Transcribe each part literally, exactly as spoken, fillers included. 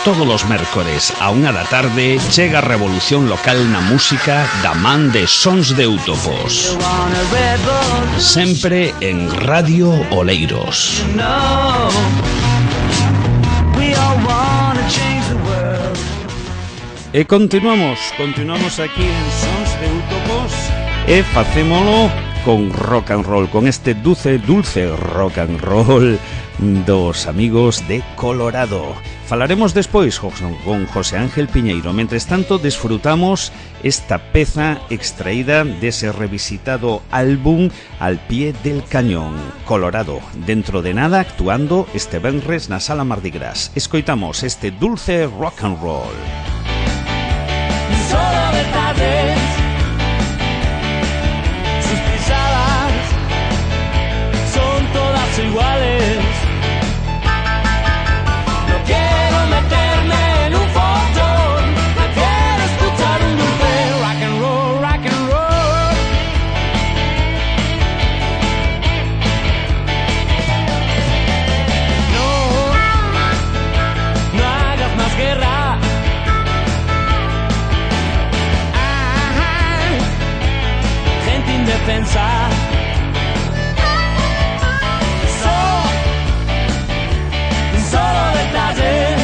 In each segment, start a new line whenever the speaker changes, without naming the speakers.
todos os mércores a unha da tarde chega a revolución local na música da man de Sons de Eutopos. Sempre en Radio Oleiros. E continuamos, continuamos aquí en Sons de Eutopos e facémolo con rock and roll, con este dulce, dulce rock and roll dos amigos de Colorado. Falaremos despois con José Ángel Piñeiro. Mentres tanto, desfrutamos esta peza extraída dese revisitado álbum Al pie del cañón, Colorado. Dentro de nada, actuando este venres na Sala Mardi Gras. Escoitamos este dulce rock and roll.
Solo de tardes, sus pisadas son todas iguales. No quiero meterme en un fotón, prefiero escuchar un dulce rock and roll, rock and roll. No, no hagas más guerra. Defensa. So, solo detalles.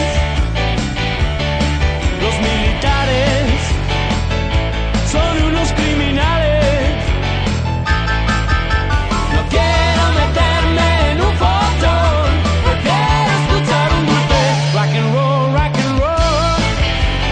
Los militares son unos criminales. No quiero meterme en un fotón, prefiero escuchar un dulce rock and roll, rock and roll, rock and roll.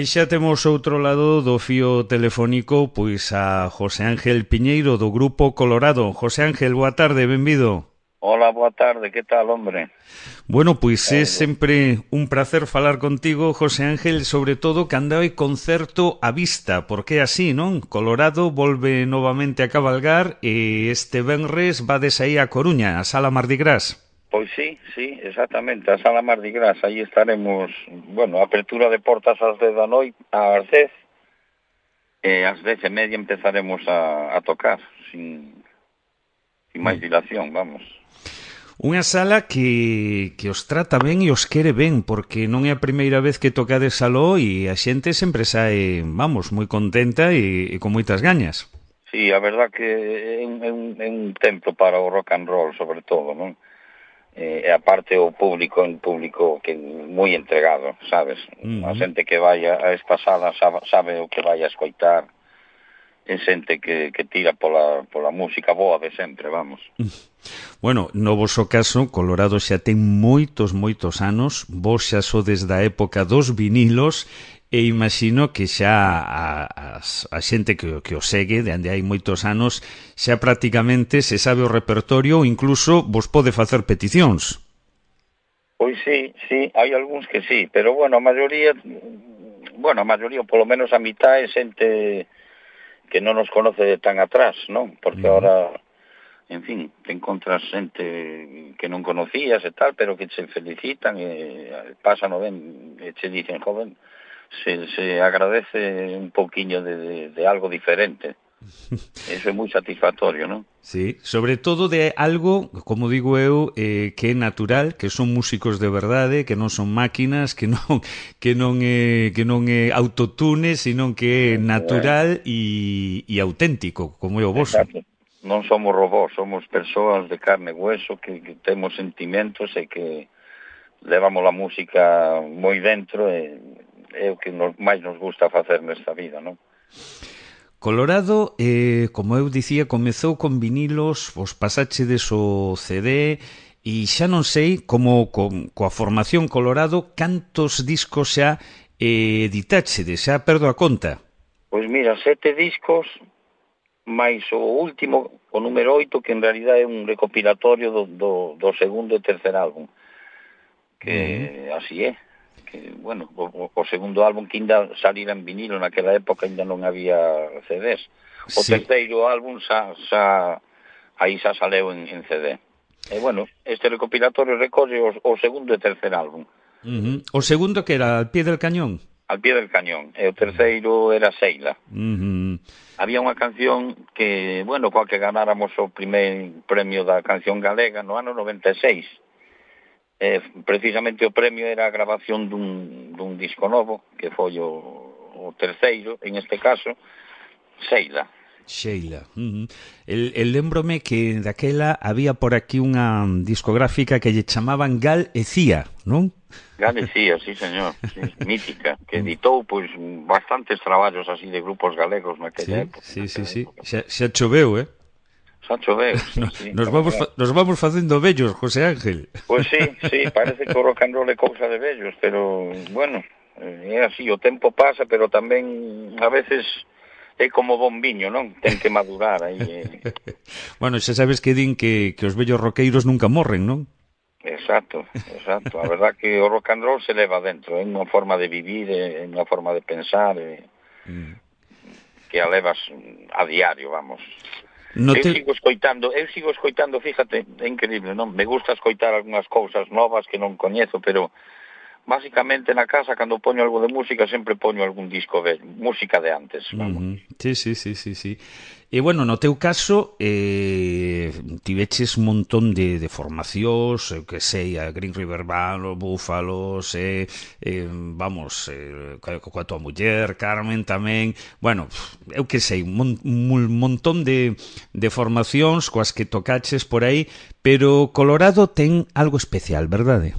E xa temos outro lado do fío telefónico pois a José Ángel Piñeiro do Grupo Colorado. José Ángel, boa tarde, benvido.
Hola, boa tarde, que tal, hombre?
Bueno, pois é sempre un placer falar contigo, José Ángel, sobre todo cando hai concerto á vista, porque é así, non? Colorado volve novamente a cabalgar e este venres vades aí a Coruña, a Sala Mardi Gras.
Pois sí, sí, exactamente, a Sala Mardi Gras, aí estaremos, bueno, apertura de portas ás dez da noite, ás dez, e ás dez e media empezaremos a, a tocar, sin, sin máis dilación, vamos.
Unha sala que, que os trata ben e os quere ben, porque non é a primeira vez que tocades aló e a xente sempre sae, vamos, moi contenta e, e con moitas gañas.
Sí, a verdad que é un, é un, é un templo para o rock and roll, sobre todo, non? E eh, aparte o público, un público que moi entregado, sabes? Uh-huh. A xente que vai a esta sala sabe, sabe o que vai a escoitar, é xente que, que tira pola, pola música boa de sempre, vamos.
Bueno, no voso caso, Colorado xa ten moitos, moitos anos, vos xa sodes da época dos vinilos, e imagino que xa a, a, a xente que, que o segue, de onde hai moitos anos, xa prácticamente se sabe o repertorio ou incluso vos pode facer peticións.
Pois sí, sí, hai algúns que sí, pero bueno, a maioría, bueno, a maioría, polo menos a mitad é xente que non nos conoce de tan atrás, non? Porque
Uh-huh.
ahora, en fin, te encontras xente que non conocías e tal, pero que che felicitan e pasan ben, e che dicen, joven, se, se agradece un poquinho de, de, de algo diferente. Eso é moi satisfactorio, non?
Sí, sobre todo de algo, como digo eu, eh, que é natural, que son músicos de verdade, que non son máquinas, que non que non é que non é autotune, sino que é natural e, e auténtico, como é o voso.
Exacto. Non somos robós, somos persoas de carne e hueso que, que temos sentimentos e que levamos a música moi dentro e é o que nos, máis nos gusta facer nesta vida, non?
Colorado, eh, como eu dicía, comezou con vinilos, vos pasachedes o C D e xa non sei como con, coa formación Colorado cantos discos xa eh, editáchedes, xa perdo a conta.
Pois mira, sete discos máis o último, o número oito, que en realidad é un recopilatorio do, do, do segundo e tercer álbum, que uh-huh. así é. Que, bueno, o, o segundo álbum que ainda salira en vinilo naquela época ainda non había C Ds. O sí. Terceiro álbum xa, xa aí xa saleu en, en C D. E bueno, este recopilatorio recolle o, o segundo e tercer álbum.
Uh-huh. O segundo que era Al pie del cañón?
Al pie del cañón. E o terceiro era Seila.
Uh-huh.
Había unha canción que, bueno, coa que ganáramos o primer premio da canción galega no ano noventa e seis. Eh, precisamente o premio era a grabación dun, dun disco novo, que foi o, o terceiro, en este caso, Seila.
Sheila. Uh-huh. El, el lembrome que daquela había por aquí unha discográfica que lle chamaban Gal e Cía, non?
Gal e Cía, sí, señor, sí, mítica, que editou pois bastantes traballos así de grupos galegos naquela
sí,
época.
Sí, sí, sí, xa, xa choveu, eh?
Xa choveu, sí, sí.
Nos vamos, fa, nos vamos facendo vellos, José Ángel.
Pois sí, sí, parece que o rock and roll é cousa de vellos, pero, bueno, é así, o tempo pasa, pero tamén a veces é como bon viño, non? Ten que madurar aí. Eh.
Bueno, xa sabes que din que, que os vellos roqueiros nunca morren, non?
Exacto, exacto. A verdad que o rock and roll se leva dentro, é unha forma de vivir, é unha forma de pensar, é, mm. que a levas a diario, vamos. No eu te... sigo escoitando, eu sigo escoitando, fíjate, é increíble, non? Me gusta escoitar algunhas cousas novas que non coñezo, pero básicamente na casa, cando poño algo de música, sempre poño algún disco de música de antes, vamos.
Uh-huh. Sí, sí, sí, sí, sí. E, bueno, no teu caso, eh, tiveches un montón de, de formacións, eu que sei, a Green River Band, os Búfalos, eh, eh, vamos, eh, coa tua muller, Carmen tamén, bueno, eu que sei, un, mon, un montón de, de formacións coas que tocaches por aí, pero Colorado ten algo especial, verdade?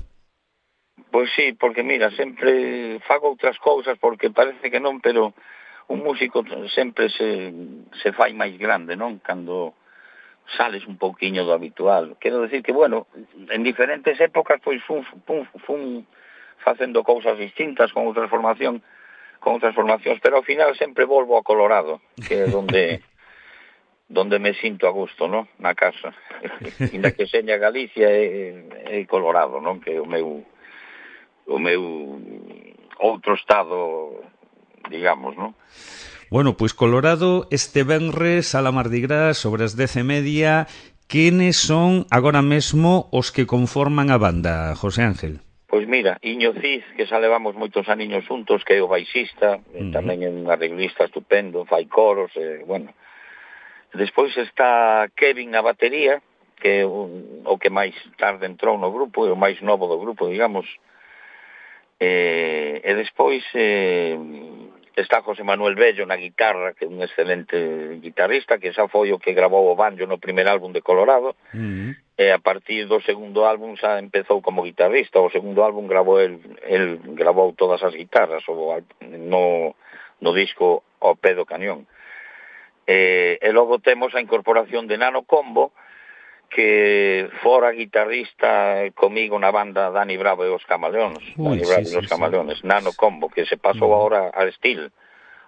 Pois sí, porque mira, sempre fago outras cousas porque parece que non, pero un músico sempre se, se fai máis grande, non? Cando sales un pouquiño do habitual. Quero decir que, bueno, en diferentes épocas, pois, fun, fun, fun facendo cousas distintas con outra formación, con outras formacións, pero ao final sempre volvo a Colorado, que é onde donde me sinto a gusto, non? Na casa. Inda que seña Galicia é, é Colorado, non? Que é o meu o meu outro estado, digamos, non?
Bueno, pois Colorado este venres a la Mardi Gras sobre as dez e media. Quenes son agora mesmo os que conforman a banda, José Ángel?
Pois mira, Iño Cid, que xa levamos moitos aniños juntos, que é o baixista, uh-huh. tamén é un arreglista estupendo, fai coros, e, bueno. Despois está Kevin na batería, que é o, o que máis tarde entrou no grupo, é o máis novo do grupo, digamos. E, e despois eh, está José Manuel Bello na guitarra, que é un excelente guitarrista, que xa foi o que grabou o banjo no primer álbum de Colorado, uh-huh. e a partir do segundo álbum xa empezou como guitarrista. O segundo álbum grabou el, el grabou todas as guitarras o, no, no disco Ao pé do cañón. E, e logo temos a incorporación de Nano Combo, que fora guitarrista comigo na banda Dani Bravo e os Camaleóns. Uy, Dani Bravo sí, e os sí, Camaleóns. Sí. Nano Combo, que se pasou uh-huh. ahora a Steel.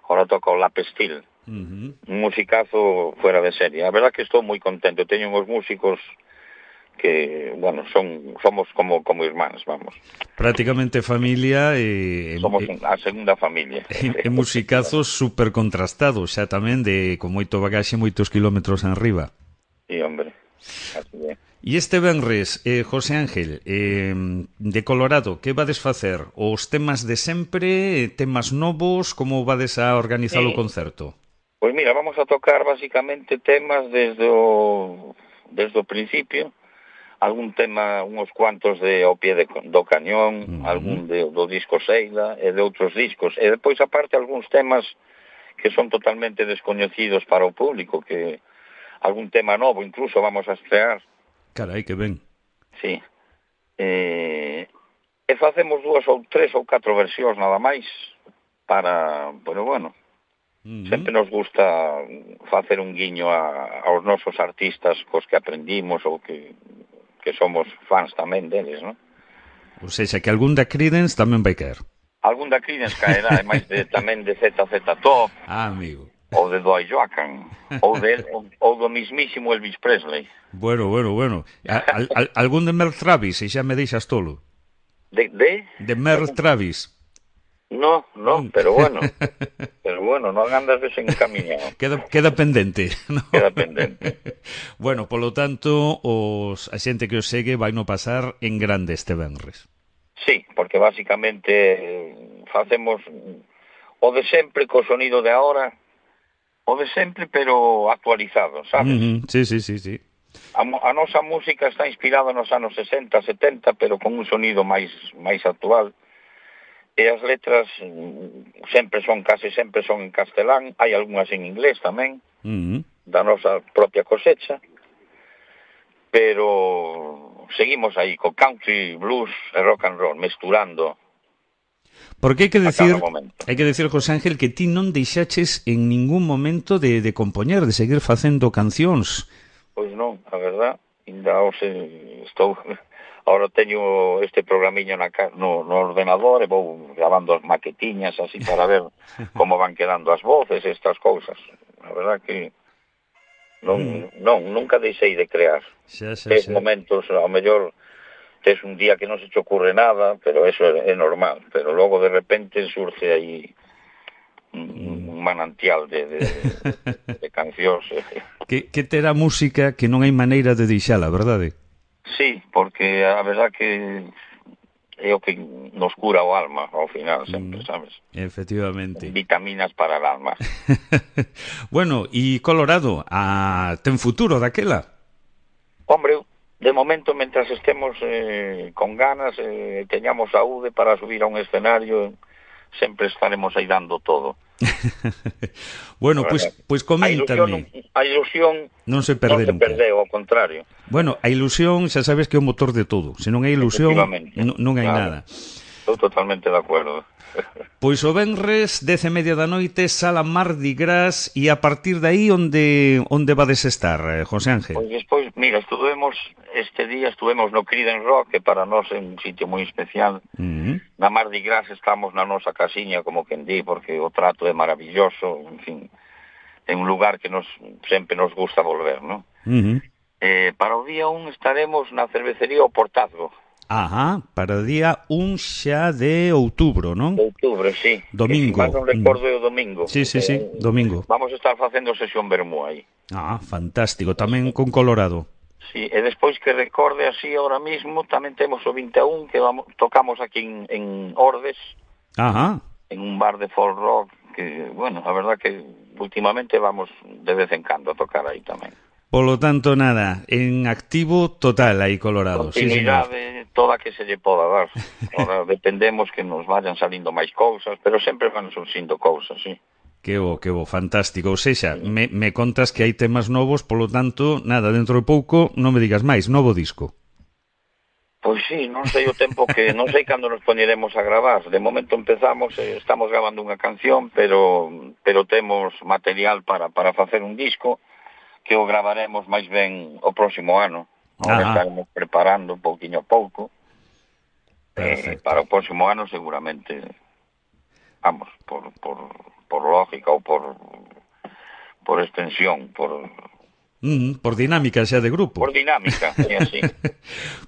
Ahora toca o Lap Steel. Uh-huh. Un musicazo fuera de serie. A verdad que estou moi contento. Teño uns músicos que, bueno, son somos como como irmáns, vamos.
Prácticamente familia e...
Somos
e
a segunda familia.
e, e musicazos super contrastados, xa tamén de con moito bagaxe, moitos kilómetros enriba.
Sí, hombre, así é.
E este venres, eh, José Ángel, eh, de Colorado, que vades facer? Os temas de sempre, temas novos, como vades a organizar
Sí.
o concerto?
Pois mira, vamos a tocar basicamente temas desde o desde o principio, algún tema, uns cuantos de ao pie de, do cañón,
Uh-huh.
algún de, do disco Seila e de outros discos, e depois aparte algúns temas que son totalmente descoñecidos para o público, que algún tema novo incluso vamos a estrear.
Carai, que ben.
Sí. Eh, e facemos dúas ou tres ou catro versións nada máis para, pero bueno,
Uh-huh.
sempre nos gusta facer un guiño a, aos nosos artistas cos que aprendimos ou que, que somos fans tamén deles, non?
Ou seja, que algún da Creedence tamén vai caer.
Algún da Creedence caerá, e máis de, tamén de Z Z Top,
Ah, amigo.
ou de Dwight Joaquin, ou, de, ou, ou do mismísimo Elvis Presley.
Bueno, bueno, bueno. A, al, al, algún de Merle Travis, e xa me deixas tolo.
De? De,
De Merle Travis.
No, no, pero bueno, pero bueno, non andas desencaminado.
Queda, queda pendente, ¿no?
Queda pendente.
Bueno, polo tanto, os, a xente que os segue vai no pasar en grande este venres.
Sí, porque basicamente eh, facemos o de sempre co sonido de ahora, o de sempre pero actualizado, sabes?
Uh-huh. Sí, sí, sí, sí.
A, a nosa música está inspirada nos anos sesenta, setenta, pero con un sonido máis máis actual. E as letras mm, sempre son, case sempre son en castelán, hai algunhas en inglés tamén,
Uh-huh.
da nosa propia cosecha, pero seguimos aí co country, blues e rock and roll, mesturando.
Porque hai que
a
decir,
cada momento.
hai que decir, José Ángel, que ti non deixaches en ningún momento de, de compoñer, de seguir facendo cancións.
Pois non, a verdad, ainda hoxe estou... Ahora teño este programiño na, no, no ordenador e vou grabando as maquetiñas así para ver como van quedando as voces e estas cousas. A verdad que non, mm. non nunca deixei de crear.
Xa, xa,
Tes
xa.
momentos, ao mellor, tes un día que non se te ocurre nada, pero eso é, é normal. Pero logo de repente surge aí un, mm. un manantial de, de, de, de cancións.
Que, que terá música que non hai maneira de deixala, verdade?
Sí, porque a verdad que é o que nos cura o alma ao final, sempre,
Mm,
sabes?
efectivamente.
Vitaminas para el alma.
Bueno, e Colorado, a... ten futuro daquela?
Hombre, de momento, mentras estemos eh, con ganas, eh, teñamos saúde para subir a un escenario, sempre estaremos aí dando todo.
Bueno, pois pues, pues
A ilusión,
coméntame.
a ilusión
Non se perde
non se
nunca.
perdeu, ao contrario.
Bueno, a ilusión, xa sabes que é o motor de todo. Se non hai ilusión,
Efectivamente,
non, non hai
claro.
nada.
Estou totalmente de acuerdo.
Pois o venres, dez e media da noite, sala Mardi Gras, e a partir de aí onde onde vades estar, eh, José Ángel?
Pois despois, mira, estuvemos, este día estuvemos no Creedence Rock, que para nós é un sitio moi especial.
Uh-huh.
Na Mardi Gras estamos na nosa casiña, como quen di, porque o trato é maravilloso, en fin, é un lugar que nos sempre nos gusta volver, non?
Uh-huh.
Eh, para o día un estaremos na cervecería O Portazgo.
Ajá, para o día un xa de outubro, non?
De outubro, sí.
Domingo.
Que, si mal non recordo é o domingo.
Sí, sí, sí,
Eh,
domingo.
Vamos a estar facendo sesión vermú aí.
Ah, fantástico, tamén con Colorado.
Sí, e despois que recorde así ahora mismo, tamén temos o vinte e un que vamos, tocamos aquí en, en Ordes,
Ajá.
en un bar de folk rock, que, bueno, a verdad que últimamente vamos de vez en cando a tocar aí tamén.
Polo tanto, nada, en activo total aí Colorado. Sí, señor.
Continuidade toda que se lle poda dar. Ahora dependemos que nos vayan salindo máis cousas, pero sempre van surxindo cousas, sí.
Que bo, que bo, fantástico. Ou seja, me, me contas que hai temas novos, polo tanto, nada, dentro de pouco, non me digas máis, novo disco.
Pois sí, non sei o tempo que, non sei cando nos poñeremos a gravar. De momento empezamos, eh, estamos gravando unha canción, pero pero temos material para para facer un disco que o gravaremos máis ben o próximo ano. Ahora estaremos preparando un pouquiño a pouco. Eh, para o próximo ano seguramente, vamos, por, por, por lógica ou por, por extensión, por,
Mm, por dinámica xa de grupo.
Por dinámica, é así.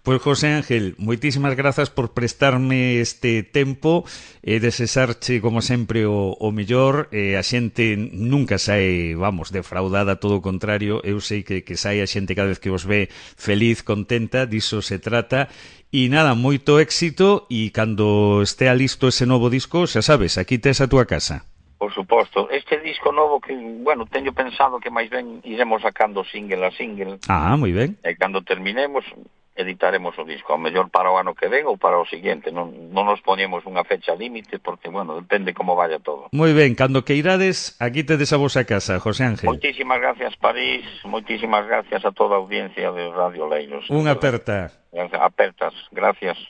Pois, José Ángel, moitísimas grazas por prestarme este tempo e desexarche, como sempre, o, o mellor. E a xente nunca sae, vamos, defraudada, todo o contrario. Eu sei que, que sae a xente cada vez que os ve feliz, contenta, diso se trata. E nada, moito éxito, e cando estea listo ese novo disco, xa sabes, aquí tes a túa casa.
Por suposto, este disco novo que, bueno, teño pensado que máis ben iremos sacando single a single.
Ah, moi ben.
E cando terminemos, editaremos o disco, ao mellor para o ano que ven ou para o siguiente. Non, non nos ponemos unha fecha límite, porque, bueno, depende como vaya todo.
Moi ben, cando que irades, aquí tedes a vosa casa, José Ángel.
Moitísimas gracias, París, moitísimas gracias a toda a audiencia de Radio Leiros.
Unha aperta.
Apertas, gracias.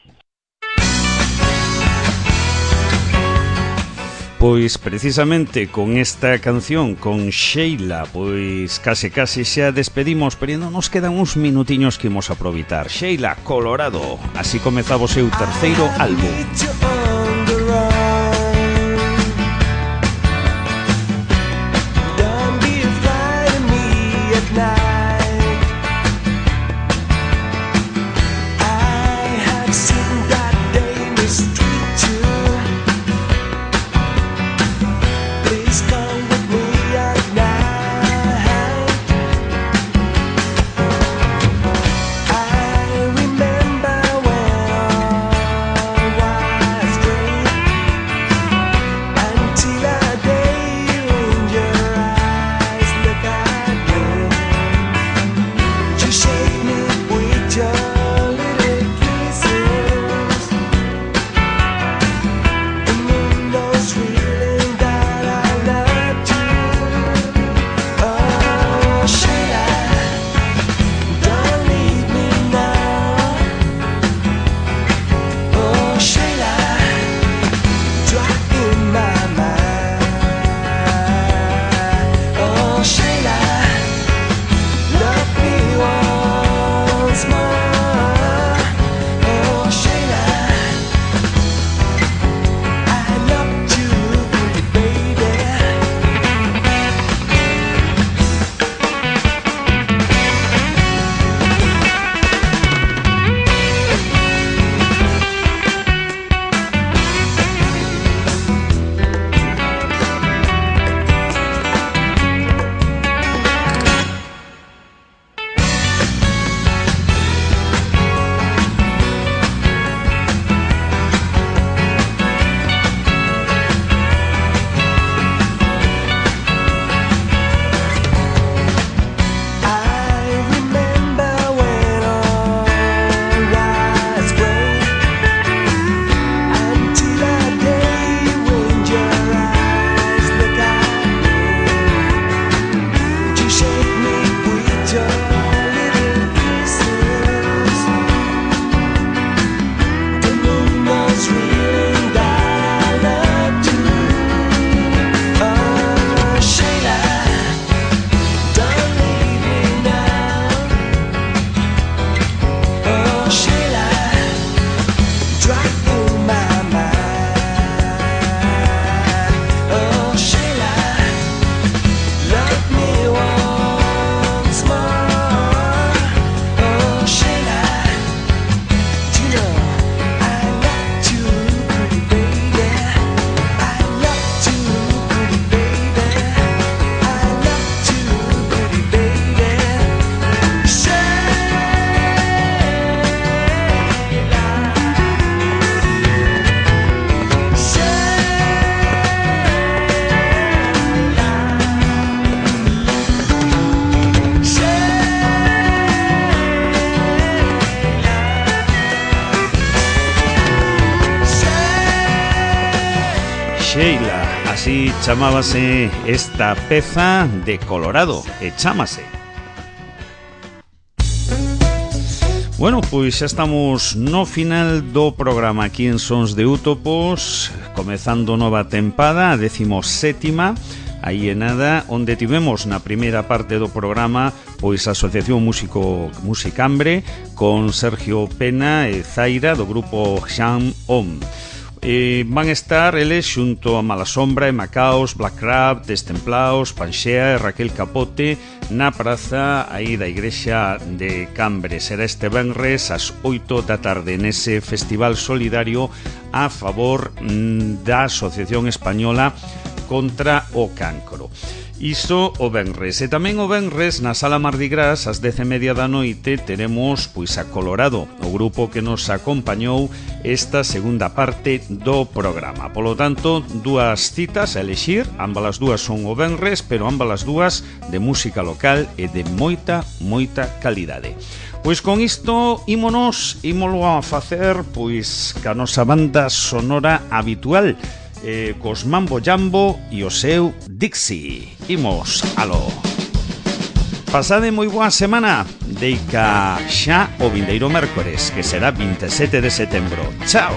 Pois precisamente con esta canción, con Sheila, pois case case xa despedimos, pero non nos quedan uns minutiños que imos aproveitar. Sheila, Colorado, así comezaba o seu terceiro álbum. Sheila, así chamábase esta peza de Colorado, e chámase. Bueno, pois xa estamos no final do programa aquí en Sons de Útopos, comezando nova tempada, a decimossétima, aí en nada, onde tivemos na primeira parte do programa pois a Asociación Músico Musicambre con Sergio Pena e Zaira do grupo Jam Om. Eh, van estar eles xunto a Malasombra e Macaos, Black Crab, Destemplaos, Panxea e Raquel Capote na praza aí da igrexa de Cambre. Será este venres ás oito da tarde nese festival solidario a favor mm, da Asociación Española contra o Cancro. Iso o venres. E tamén o venres na Sala Mardi Gras ás dez e media da noite teremos pois a Colorado, o grupo que nos acompañou esta segunda parte do programa. Polo tanto, dúas citas a elexir, ambas as dúas son o venres, pero ambas as dúas de música local e de moita, moita calidade. Pois con isto ímonos, ímolo a facer pois ca nosa banda sonora habitual, Eh, cos Mambo Jambo e o seu Dixie. Imos alo. Pasade moi boa semana. Deica xa o vindeiro mércores, que será vinte e sete de setembro. Chao.